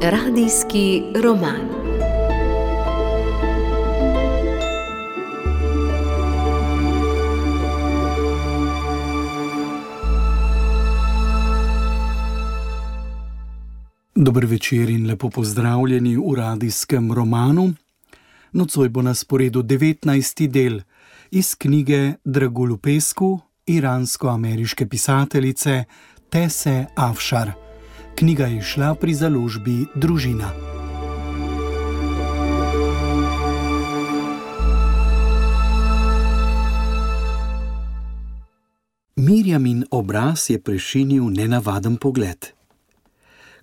Radijski roman. Dober večer in lepo pozdravljeni v radijskem romanu. Nocoj bo na sporedu 19. del iz knjige Dragulu Pesku iransko-ameriške pisateljice Tese Afšar. Knjiga je izšla pri založbi Družina. Mirjamin obraz je prešinil nenavaden pogled.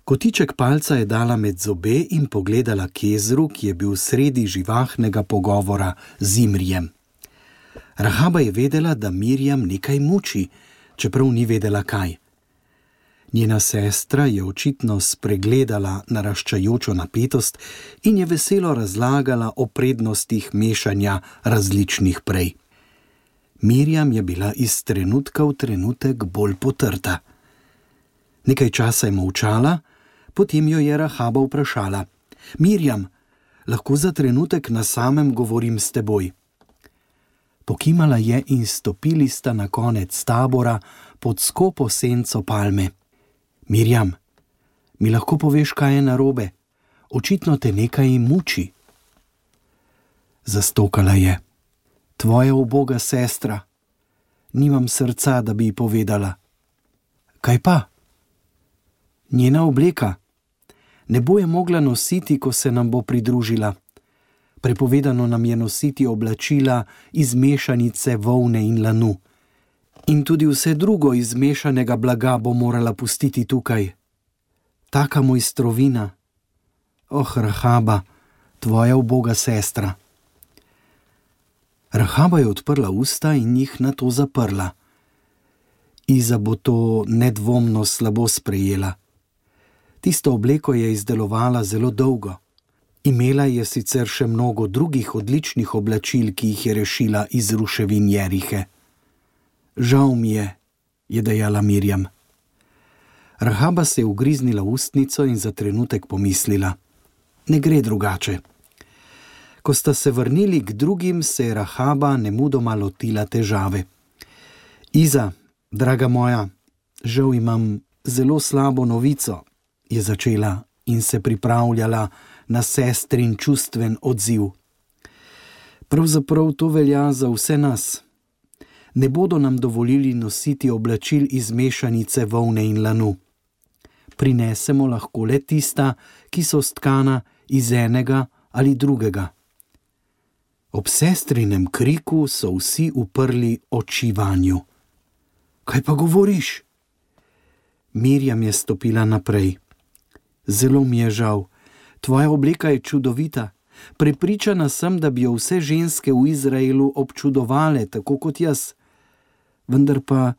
Kotiček palca je dala med zobe in pogledala k jezeru, ki je bil sredi živahnega pogovora z Imrijem. Rahaba je vedela, da Mirjam nekaj muči, čeprav ni vedela kaj. Njena sestra je očitno spregledala naraščajočo napetost in je veselo razlagala o prednostih mešanja različnih prej. Mirjam je bila iz trenutka v trenutek bolj potrta. Nekaj časa je molčala, potem jo je Rahaba vprašala: Mirjam, lahko za trenutek na samem govorim s teboj? Pokimala je in stopili sta na konec tabora pod skopo senco palme. Mirjam, mi lahko poveš, kaj je narobe? Očitno te nekaj muči. Zastokala je. Tvoja uboga sestra. Nimam srca, da bi ji povedala. Kaj pa? Njena obleka. Ne bo je mogla nositi, ko se nam bo pridružila. Prepovedano nam je nositi oblačila iz mešanice volne in lanu. In tudi vse drugo iz mešanega blaga bo morala pustiti tukaj. Taka mojstrovina. Rahaba, tvoja uboga sestra. Rahaba je odprla usta in jih nato zaprla. Iza bo to nedvomno slabo sprejela. Tisto obleko je izdelovala zelo dolgo. Imela je sicer še mnogo drugih odličnih oblačil, ki jih je rešila iz ruševin Jerihe. Žal mi je dejala Mirjam. Rahaba se je ugriznila v ustnico in za trenutek pomislila: ne gre drugače. Ko sta se vrnili k drugim, se je Rahaba nemudoma lotila težave. Iza, draga moja, žal imam zelo slabo novico, je začela in se pripravljala na sestrin čustven odziv. Pravzaprav to velja za vse nas. Ne bodo nam dovolili nositi oblačil iz mešanice volne in lanu. Prinesemo lahko le tista, ki so stkana iz enega ali drugega. Ob sestrinem kriku so vsi uprli oči vanju. Kaj pa govoriš? Mirjam je stopila naprej. Zelo mi je žal. Tvoja obleka je čudovita. Prepričana sem, da bi jo vse ženske v Izraelu občudovale, tako kot jaz. Vendar pa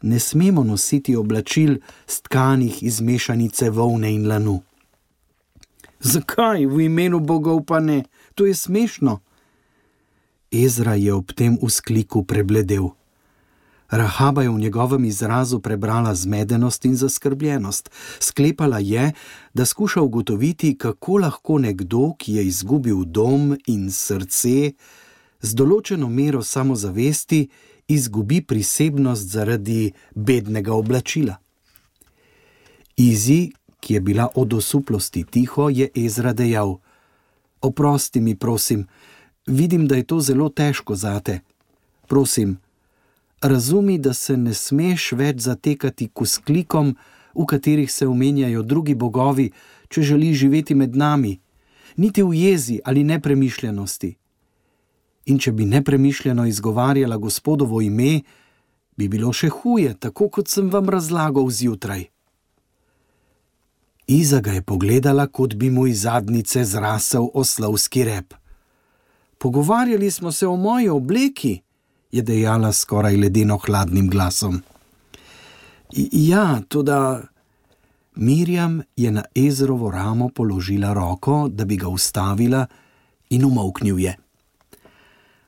ne smemo nositi oblačil stkanih iz mešanice volne in lanu. Zakaj? V imenu bogov pa ne. To je smešno. Ezra je ob tem vzkliku prebledel. Rahaba je v njegovem izrazu prebrala zmedenost in zaskrbljenost. Sklepala je, da skuša ugotoviti, kako lahko nekdo, ki je izgubil dom in srce, z določeno mero samozavesti izgubi prisebnost zaradi bednega oblačila. Izi, ki je bila od osuplosti tiho, je Ezra dejal: oprosti mi, prosim, vidim, da je to zelo težko zate. Prosim, razumi, da se ne smeš več zatekati k vzklikom, v katerih se omenjajo drugi bogovi, če želiš živeti med nami, niti v jezi ali nepremišljenosti. In če bi nepremišljeno izgovarjala Gospodovo ime, bi bilo še huje, tako kot sem vam razlagal zjutraj. Iza ga je pogledala, kot bi mu iz zadnjice zrasel oslovski rep. Pogovarjali smo se o moji obleki, je dejala skoraj ledeno hladnim glasom. Ja, toda... Mirjam je na Ezrovo ramo položila roko, da bi ga ustavila, in umolknil je.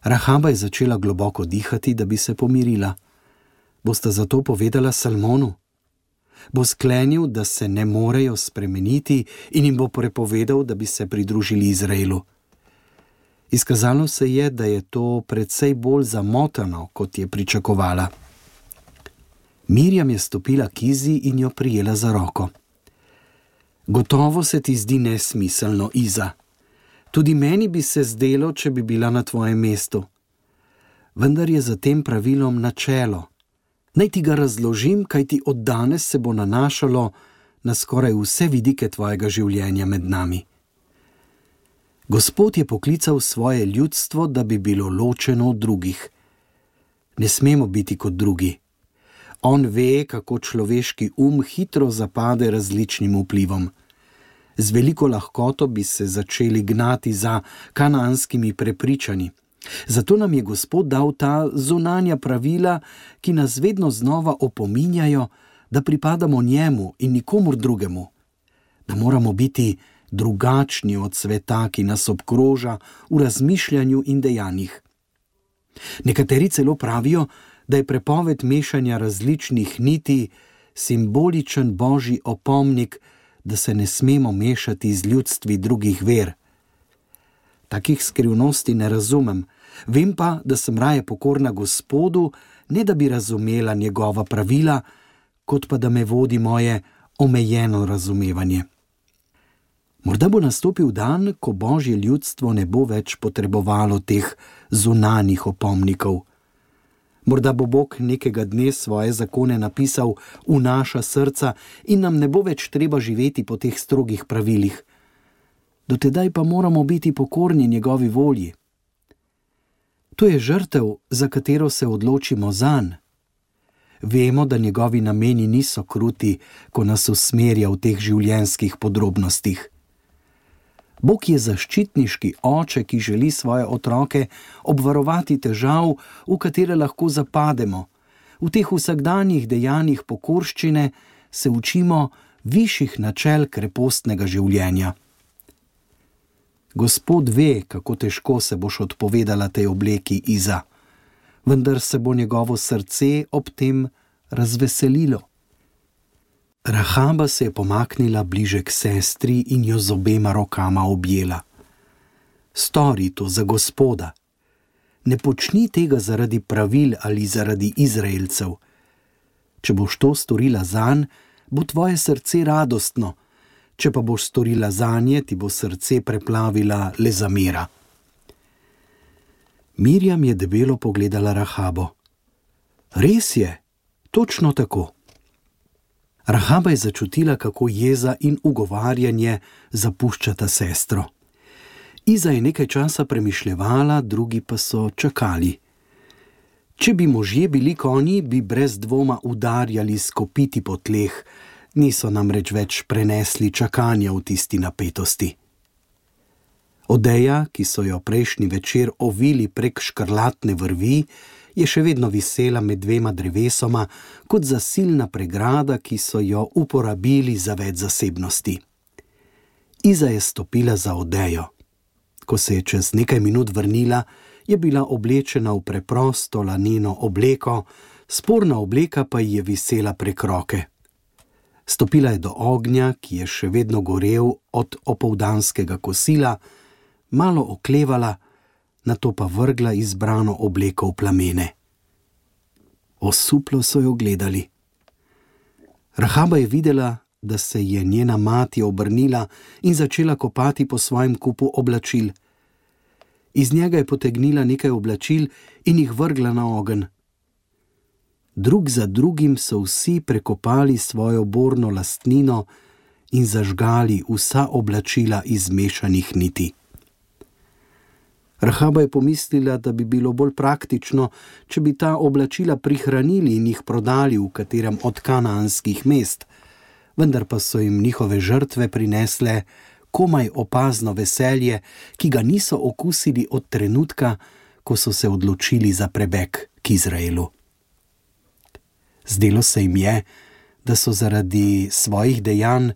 Rahaba je začela globoko dihati, da bi se pomirila. Bosta zato povedala Salmonu? Bo sklenil, da se ne morejo spremeniti in jim bo prepovedal, da bi se pridružili Izraelu. Izkazalo se je, da je to precej bolj zamotano, kot je pričakovala. Mirjam je stopila k Izi in jo prijela za roko. Gotovo se ti zdi nesmiselno, Iza. Tudi meni bi se zdelo, če bi bila na tvojem mestu. Vendar je za tem pravilom načelo. Naj ti ga razložim, kajti od danes se bo nanašalo na skoraj vse vidike tvojega življenja med nami. Gospod je poklical svoje ljudstvo, da bi bilo ločeno od drugih. Ne smemo biti kot drugi. On ve, kako človeški hitro zapade različnim vplivom. Z veliko lahkoto bi se začeli gnati za kanaanskimi prepričanji. Zato nam je Gospod dal ta zunanja pravila, ki nas vedno znova opominjajo, da pripadamo njemu in nikomur drugemu. Da moramo biti drugačni od sveta, ki nas obkroža v razmišljanju in dejanjih. Nekateri celo pravijo, da je prepoved mešanja različnih niti simboličen božji opomnik, da se ne smemo mešati z ljudstvi drugih ver. Takih skrivnosti ne razumem, vem pa, da sem raje pokorna Gospodu, ne da bi razumela njegova pravila, kot pa da me vodi moje omejeno razumevanje. Morda bo nastopil dan, ko božje ljudstvo ne bo več potrebovalo teh zunanjih opomnikov. Morda bo Bog nekega dne svoje zakone napisal v naša srca in nam ne bo več treba živeti po teh strogih pravilih. Do tedaj pa moramo biti pokorni njegovi volji. To je žrtev, za katero se odločimo zanj. Vemo, da njegovi nameni niso kruti, ko nas usmerja v teh življenjskih podrobnostih. Bog je zaščitniški oče, ki želi svoje otroke obvarovati težav, v katere lahko zapademo. V teh vsakdanjih dejanjih pokorščine se učimo višjih načel krepostnega življenja. Gospod ve, kako težko se boš odpovedala tej obleki, Iza, vendar se bo njegovo srce ob tem razveselilo. Rahaba se je pomaknila bliže k sestri in jo z obema rokama objela. Stori to za Gospoda. Ne počni tega zaradi pravil ali zaradi Izraelcev. Če boš to storila zanj, bo tvoje srce radostno. Če pa boš storila zanje, ti bo srce preplavila le zamera. Mirjam je debelo pogledala Rahabo. Res je, točno tako. Rahaba je začutila, kako jeza in ugovarjanje zapuščata sestro. Iza je nekaj časa premišljevala, drugi pa so čakali. Če bi možje bili konji, bi brez dvoma udarjali s kopiti po tleh, niso namreč več prenesli čakanja v tisti napetosti. Odeja, ki so jo prejšnji večer ovili prek škrlatne vrvi, je še vedno visela med dvema drevesoma kot zasilna pregrada, ki so jo uporabili za več zasebnosti. Iza je stopila za odejo. Ko se je čez nekaj minut vrnila, je bila oblečena v preprosto laneno obleko, sporna obleka pa ji je visela prek roke. Stopila je do ognja, ki je še vedno gorel od opoldanskega kosila, malo oklevala, nato pa vrgla izbrano obleko v plamene. Osuplo so jo gledali. Rahaba je videla, da se je njena mati obrnila in začela kopati po svojem kupu oblačil. Iz njega je potegnila nekaj oblačil in jih vrgla na ogenj. Drug za drugim so vsi prekopali svojo borno lastnino in zažgali vsa oblačila iz mešanih niti. Rahaba je pomislila, da bi bilo bolj praktično, če bi ta oblačila prihranili in jih prodali v katerem od kanaanskih mest, vendar pa so jim njihove žrtve prinesle komaj opazno veselje, ki ga niso okusili od trenutka, ko so se odločili za prebeg k Izraelu. Zdelo se jim je, da so zaradi svojih dejanj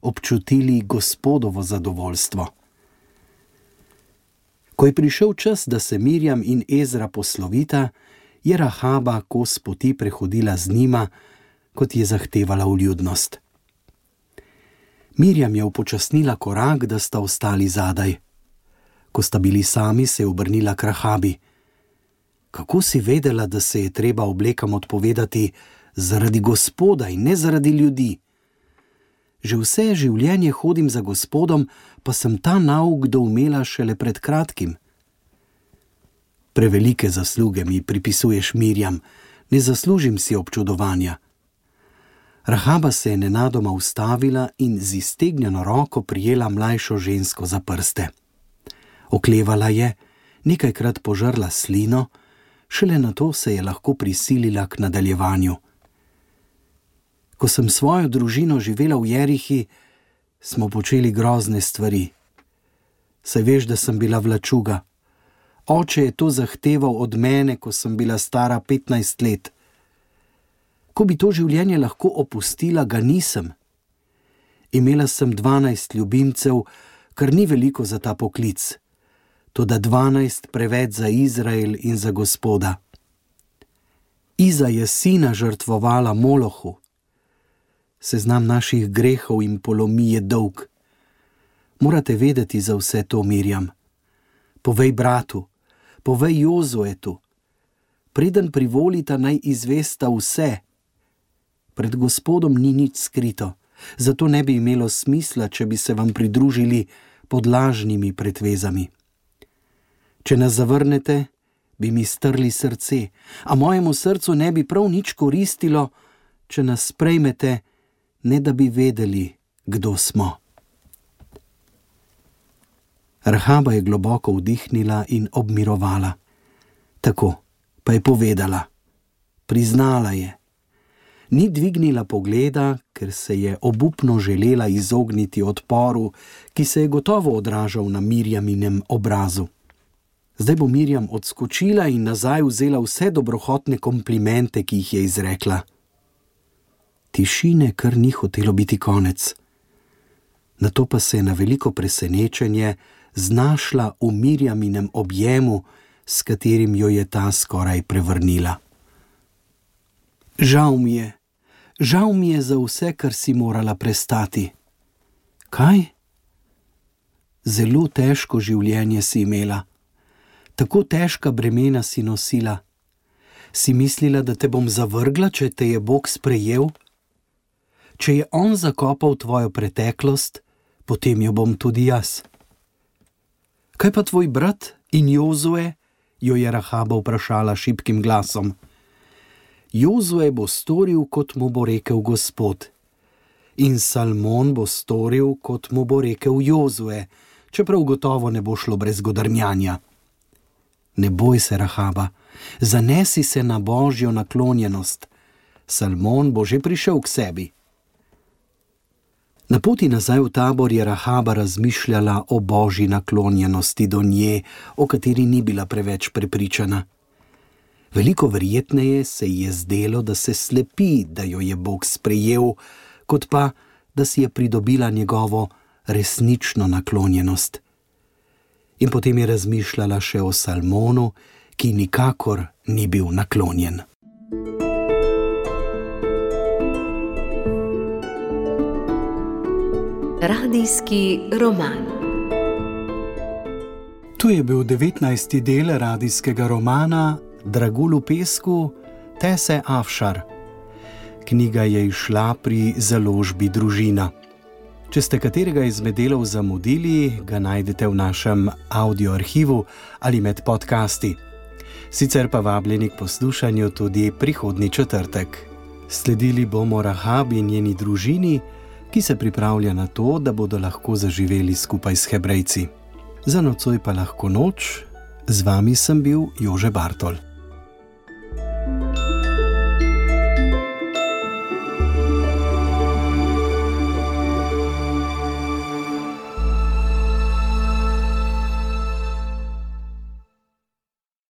občutili Gospodovo zadovoljstvo. Ko je prišel čas, da se Mirjam in Ezra poslovita, je Rahaba kos poti prehodila z njima, kot je zahtevala vljudnost. Mirjam je upočasnila korak, da sta ostali zadaj. Ko sta bili sami, se je obrnila k Rahabi. Kako si vedela, da se je treba oblekam odpovedati zaradi Gospoda in ne zaradi ljudi? Že vse življenje hodim za Gospodom, pa sem ta nauk doumela šele pred kratkim. Prevelike zasluge mi pripisuješ, Mirjam, ne zaslužim si občudovanja. Rahaba se je nenadoma ustavila in z iztegnjeno roko prijela mlajšo žensko za prste. Oklevala je, nekajkrat požrla slino, šele nato se je lahko prisilila k nadaljevanju. Ko sem svojo družino živela v Jerihi, smo počeli grozne stvari. Saj veš, da sem bila vlačuga. Oče je to zahteval od mene, ko sem bila stara 15 let. Ko bi to življenje lahko opustila, ga nisem. Imela sem 12 ljubimcev, kar ni veliko za ta poklic, toda 12 preveč za Izrael in za Gospoda. Iza je sina žrtvovala Molohu. Seznam naših grehov in polomij je dolg. Morate vedeti za vse to, Mirjam. Povej bratu, povej Jozuetu. Preden privolita, naj izvesta vse. Pred Gospodom ni nič skrito, zato ne bi imelo smisla, če bi se vam pridružili pod lažnimi pretvezami. Če nas zavrnete, bi mi strli srce, a mojemu srcu ne bi prav nič koristilo, če nas sprejmete, ne da bi vedeli, kdo smo. Rahaba je globoko vdihnila in obmirovala. Tako, pa je povedala. Priznala je. Ni dvignila pogleda, ker se je obupno želela izogniti odporu, ki se je gotovo odražal na Mirjaminem obrazu. Zdaj bo Mirjam odskočila in nazaj vzela vse dobrohotne komplimente, ki jih je izrekla. Tišine kar ni hotelo biti konec. Nato pa se je na veliko presenečenje znašla v Mirjaminem objemu, s katerim jo je ta skoraj prevrnila. Žal mi je za vse, kar si morala prestati. Kaj? Zelo težko življenje si imela. Tako težka bremena si nosila. Si mislila, da te bom zavrgla, če te je Bog sprejel? Če je on zakopal tvojo preteklost, potem jo bom tudi jaz. Kaj pa tvoj brat in Jozue? Jo je Rahaba vprašala šibkim glasom. Jozue bo storil, kot mu bo rekel Gospod. In Salmon bo storil, kot mu bo rekel Jozue, čeprav gotovo ne bo šlo brez godrnjanja. Ne boj se, Rahaba, zanesi se na Božjo naklonjenost. Salmon bo že prišel k sebi. Na poti nazaj v tabor je Rahaba razmišljala o Božji naklonjenosti do nje, o kateri ni bila preveč prepričana. Veliko verjetneje se ji je zdelo, da se slepi, da jo je Bog sprejel, kot pa, da si je pridobila njegovo resnično naklonjenost. In potem je razmišljala še o Salmonu, ki nikakor ni bil naklonjen. Radijski roman. Tu je bil 19. del radijskega romana Dragulj v pesku Tese Afšar. Knjiga je izšla pri založbi Družina. Če ste katerega izmed delov zamudili, ga najdete v našem audioarhivu ali med podcasti. Sicer pa vabljeni k poslušanju tudi prihodnji četrtek. Sledili bomo Rahabi in njeni družini, ki se pripravlja na to, da bodo lahko zaživeli skupaj s Hebrejci. Za nocoj pa lahko noč, z vami sem bil Jože Bartol.